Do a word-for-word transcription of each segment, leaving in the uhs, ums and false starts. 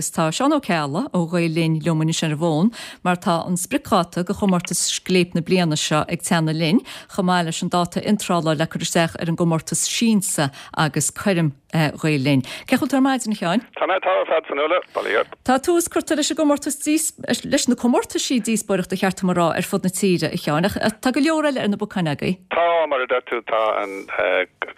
Agus tá Seán Ó Ceallaigh ó Ghael Linn liom anois ar an bhfón mar tá an spriocdháta do chomórtas Scléip na bliana seo ag teannadh linn, chomh maith leis an dáta iontrála le cur isteach ar an gcomórtas Siansa agus Coirm Ghael Linn. Cén chaoi a bhfuil tú ar maidin, a Sheáin? Tá mé ar fad Fionnuala, bail ó Dhia ort. Tá tús curtha leis an gcomórtas leis na comórtaisí díospóireachta ba cheart dom a rá ar fud na tíre, a Sheáin, ach tá go leor eile ar na bacáin agaibh. Tá, mar a deir tú, tá an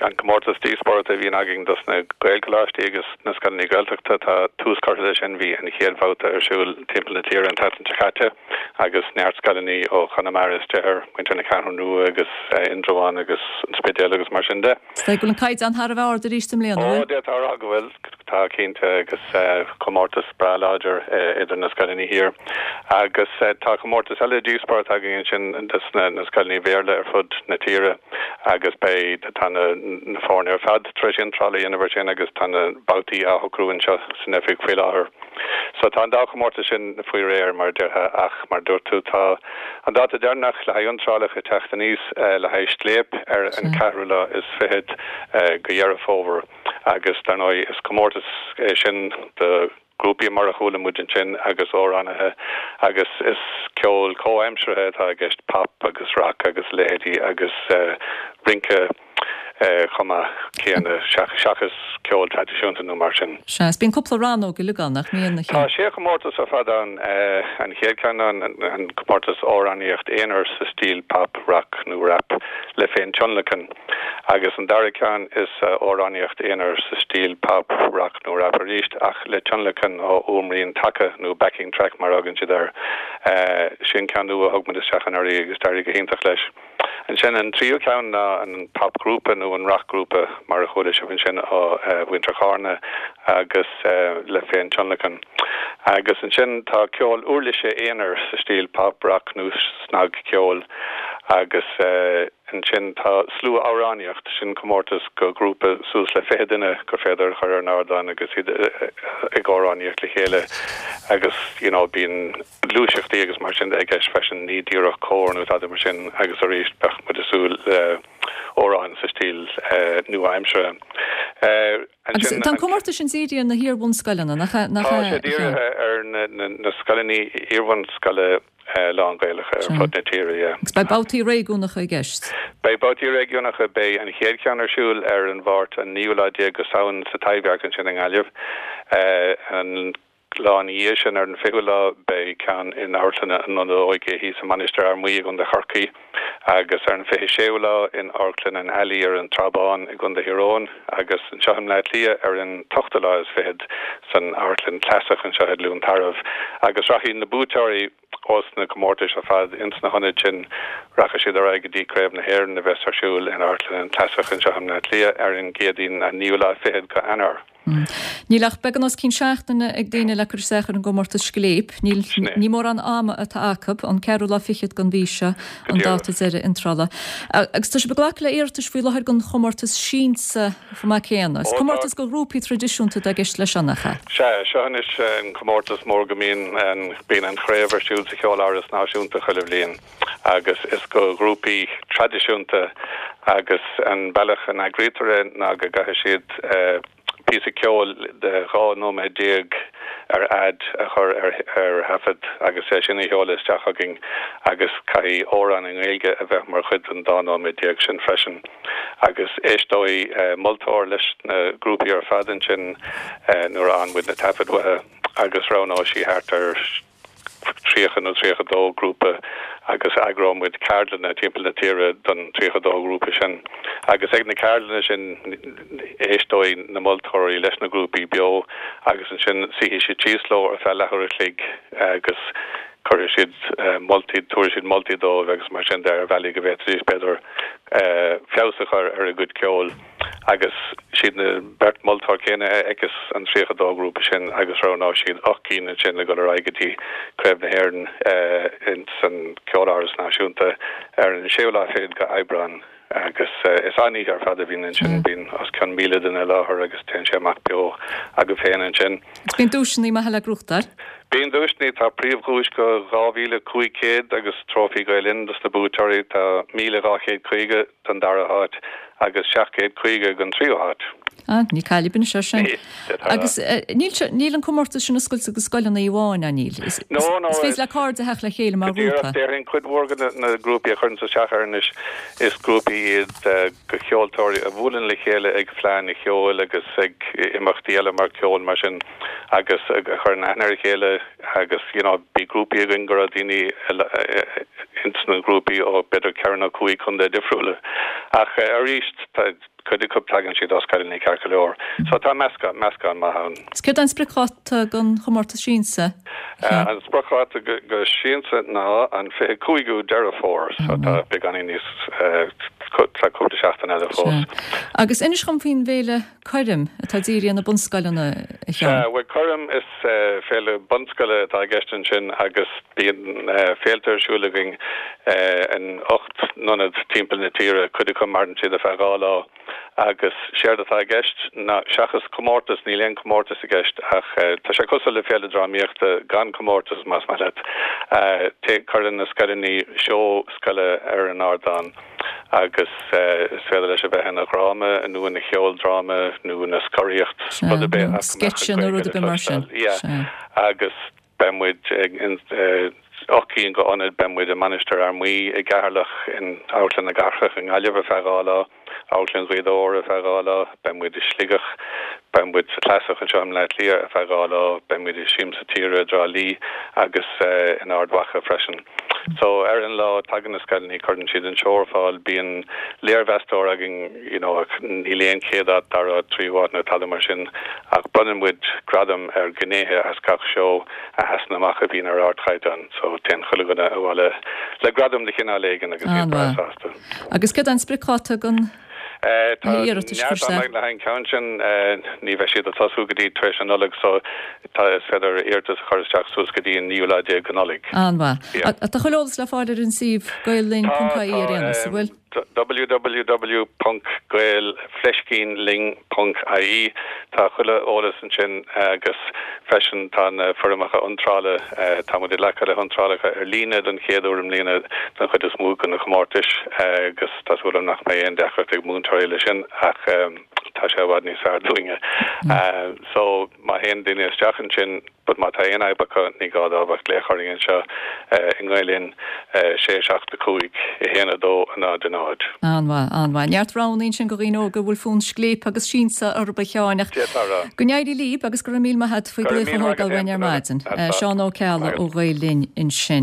an comórtas díospóireachta a bhíonn againn dos na Gaelcholáistí agus na scoileanna Gaeltachta, tá tús curtha leis sin, bhí an chéad bhabhta ar siúl timpeall na tíre an tseachtain seo caite agus neart scoileanna ó Chonamara istigh ar muintir na Ceathrún Rua agus Indreabhán agus an Spidéal agus mar sin de. Is dóigh go bhfuil an caighdeán thar a bheith ard arís i mbliana, an bhfuil? Ó, d'fhéadfá a rá go bhfuil, tá cinnte, agus comórtas breá láidir idir na scoileanna thiar. Agus tá comórtas eile díospóireachta againn ansin dos na scoileanna Béarla ar fud na tíre agus beidh, tá na na foirne ar fad tar éis iontráil a dhéanamh air sin agus tá na babhtaí á shocrú anseo san oifig faoi láthair. So tá an dá chomórtas sin faoi réir, mar a déarfá, ach mar a dúirt tú, tá an dáta deireanach le haghaidh iontrálacha ag teacht aníos le haghaidh Scléip ar an ceathrú lá is fichead de Dheireadh Fómhair agus dar ndóigh is comórtas é sin do ghrúpaí mar a chuala muid ansin agus amhránaithe agus is ceol comhaimseartha atá i gceist, pop agus rock agus a leithéidí agus rince chomh maith céanna seachas ceol traidisiúnta nó mar sin. Sea, is bíonn cúpla rannóg uilig ann, nach mbíonn, a Tá sé chomórtas ar fad ann. An chéad cheann ná an comórtas amhránaíocht aonair sa stíl pop, rock nó rap le féin-tionlacan agus an dara ceann is amhránaíocht aonair sa stíl pop, rock nó rap arís ach le tionlacan ó fhuaimrian taca nó backing track mar a thugann siad air. Sin ceann nua a thug muid isteach anuraidh agus d'éirigh go hiontach leis. Ansin an tríú ceann ná an popghrúpa nó an racghrúpa mar a chuala sibh ansin ó mhuintir Chárna agus le féin-tionlacan. Agus ansin tá ceol uirlise aonair sa stíl pop, rock nó snagcheol agus ansin tá slua-amhránaíocht, sin comórtas do ghrúpa suas le fiche duine gur féidir a chur ar an ardán agus iad ag amhránaíocht le chéile agus you know bíonn gluaiseachtaí agus mar sin de i gceist freisin, ní díreach cór nó tada mar sin agus arís bheadh muid ag súil le amhráin sa stíl nua-aimseartha. Agus tá an comórtas sin dírithe ar na hiar-bhunscoileanna, nach ea? Tá sé dírithe ar na scoileanna iar-bhunscoile lán-Ghaelacha ar fud na tíre, yeah. Agus beidh babhtaí réigiúnacha i gceist? Beidh babhtaí réigiúnacha, beidh an chéad cheann ar siúl ar an Mháirt an naoú lá déag de Samhain sa Taibhdhearc ansin i nGaillimh. An lá ina dhiaidh sin, ar an fichiú lá, beidh ceann in Amharclann an Ionaid Óige thíos i Mainistir Fhear Maí i gContae Chorcaí agus ar an fiche séú lá in Amharclann an Alley ar an Trá Bhán i gContae Thír Eoghain agus anseo i mBleá Cliath ar an t-ochtú lá is fichead san Amharclann Clasach anseo i gCluain Tarbh agus rachaidh na buaiteoirí ós na comórtais ar fad ins na hionaid sin rachaidh siad ar aghaidh go dtí Craobh na hÉireann a bheas ar siúl in Amharclann an Clasach anseo i mBleá Cliath ar an gCéadaoin an naoú lá fichead de Eanáir. Níl ach beagán os cionn seachtaine ag daoine le cur isteach ar an gcomórtas Scléip. Níl, ní mórán ama atá acu, an ceathrú lá fichead den mhí seo an dáta deiridh iontrála. Agus tá sibh ag glacadh le iarratais faoi láthair don chomórtas Siansa chomh maith céanna. Is comórtas do ghrúpaí traidisiúnta atá i gceist leis seo, nach ea? Sea, seo anois an comórtas mór go mbíonn an, bíonn an chraobh ar siúl sa Cheoláras Náisiúnta chuile bhliain agus is do ghrúpaí traidisiúnta agus an bealach a n-eagraítear é ná go gcaithfidh siad píosa ceoil de dhá nóiméad déag ar fhad a chur ar thaifead agus é sin a sheoladh isteach chugainn agus caithfidh amhrán i nGaeilge a bheith mar chuid den dá nóiméad déag sin freisin. Agus éisteoidh moltóir leis na grúpaí ar fad ansin nuair a fhaigheann muid na taifid uathu agus roghnóidh sí thart ar tríocha nó tríocha dó grúpa agus eagróidh muid ceardlanna timpeall na tíre don tríocha dó grúpa sin. Agus ag na ceardlanna sin éisteoidh na moltóirí leis na grúpaí beo agus ansin suífidh siad síos leo ar feadh leathuair a chloig agus cuirfidh siad moltaí, tabharfaidh siad moltaí dóibh agus mar sin de ar bhealaí go bhféadfaidís b'fhéidir feabhas a chur ar a gcuid ceoil. Agus siad na beirt moltóir céanna a fheicfeas an tríocha dó grúpa sin agus roghnóidh siad ocht gcinn ansin le dul ar aghaidh go dtí Craobh na hÉireann ins an Ceoláras Náisiúnta ar an séú lá fichead de Aibreán. Agus is an-oíche ar fad a bhíonn ansin, bíonn os cionn míle duine i láthair agus téann sé amach beo agaibh féin ansin. Agus bíonn duaiseanna maithe le gnóthachtáil. Bíonn duaiseanna, tá príomhdhuais de dhá mhíle cúig chéad agus trófaí Gael Linn dos na buaiteoirí, tá míle dhá chéad caoga don dara háit agus seacht gcéad caoga don tríú háit. Ah, ní cailibin se sin. Agus níl níl an comórtas sin oscailte do scoileanna amháin an níl. Is No, no. Is féidir le cairde theacht le chéile mar ghrúpa. Déarfainn cuid mhór de na grúpaí a chuireann isteach air anois is grúpaí iad de cheoltóirí a bhuaileann le chéile ag fleánna ceoil agus ag imeachtaí eile mar ceol mar sin agus a chuireann aithne ar a chéile agus you know bhí grúpaí againn go raibh daoine ins na grúpaí ó b'fhéidir ceithre nó cúig chontae difriúla. Ach arís cuid acu tagann siad ó scoileanna ceart go leor. So tá meascán meascán maith ann. Is céard an spriocdháta don chomórtas siansa? An spriocdháta go siansa ná an fiche cúigiú Deireadh Fómhair, so tá beagáinín níos tá cúpla seachtain eile fós. Agus inis dom faoin bhféile Coirm atá dírithe ar na bunscoileanna a Sheáin. Bhuel Coirm is féile bunscoile atá i gceist ansin agus bíonn féilte ar siúl againn in ocht n-ionad timpeall na tíre, cuid acu maireann siad ar feadh dhá lá agus séard atá i gceist ná seachas comórtas, níl aon comórtas i gceist ach tá sé cosúil le féile drámaíochta gan comórtas más maith leat. Cuireann na scoileanna seó scoile ar an ardán agus is féidir leis a bheith ina dhráma nó ina cheoldráma nó ina scoraíocht, rud ar bith ach go mbeadh an Sceitse nó rud Ghaeilge ar le bith mar sin. cloisteáil. Yeah. Agus beidh muid ag ocht gcinn de ionaid, beidh muid i Mainistir Fhear Maí i gCeatharlach, in Amharclann na Cathrach i nGaillimh ar feadh dhá lá, Amharclann Ghaoth Dobhair ar feadh dhá lá, beidh muid i Sligeach, beidh muid sa Chlasaigh anseo i mBleá Cliath ar feadh dhá lá, beidh muid i Siamsa Tíre i dTrá Lí agus in Ard Mhacha freisin. So ar an lá tagann na scoileanna, cuireann siad an seó ar fáil, bíonn léirmheastóir againn you know ach níl aon chéad áit, dara háit, tríú háit nó tada mar sin ach bronnann muid gradam ar ghnéithe as gach seó a sheasann amach a bhíonn ar ardchaighdeán so téann chuile dhuine abhaile le gradam de chineál éigin agus iad breá An-mhaith. sásta. Agus céard an spriocdháta don Tá iarratais neart cur ama le haghaidh an ceann sin, ní bheidh siad ag tosú go dtí tar éis an Nollaig so tá is féidir iarratas a chur isteach suas go dtí an naoú lá déag de Nollaig. An-mhaith. Yeah. Tá chuile eolas le fáil ar an suíomh Tá gaellinn.ie ar aon nós, an bhfuil? www ponc gael fleiscín linn ponc ie Tá chuile eolas ansin agus freisin tá na foirmeacha iontrála, tá muid ag glacadh le hiontrálacha ar líne don chéad uair i mbliana don chuid is mó de na comórtais agus tá súil agam nach mbeidh aon deacracht ag múinteoirí leis sin ach tá sé i bhfad níos fearr dúinne. So má théann daoine isteach ansin but má tá aon fhadhb acu ní gá dóibh ach glaoch orainn anseo i nGael Linn sé seacht a cúig a haon a dó a náid a náid. An-mhaith, an-mhaith. Neart roghanna ansin do dhaoine óga a bhfuil fonn scléip agus siansa orthu a Sheáin ach D'fhéadfá a rá. go n-éirí libh agus go raibh míle maith agat faoi Go raibh glaoch a míle maith thógáil agat uainn ar féin, maidin. Tá. Seán Ó Ceallaigh ó Ghael Linn ansin.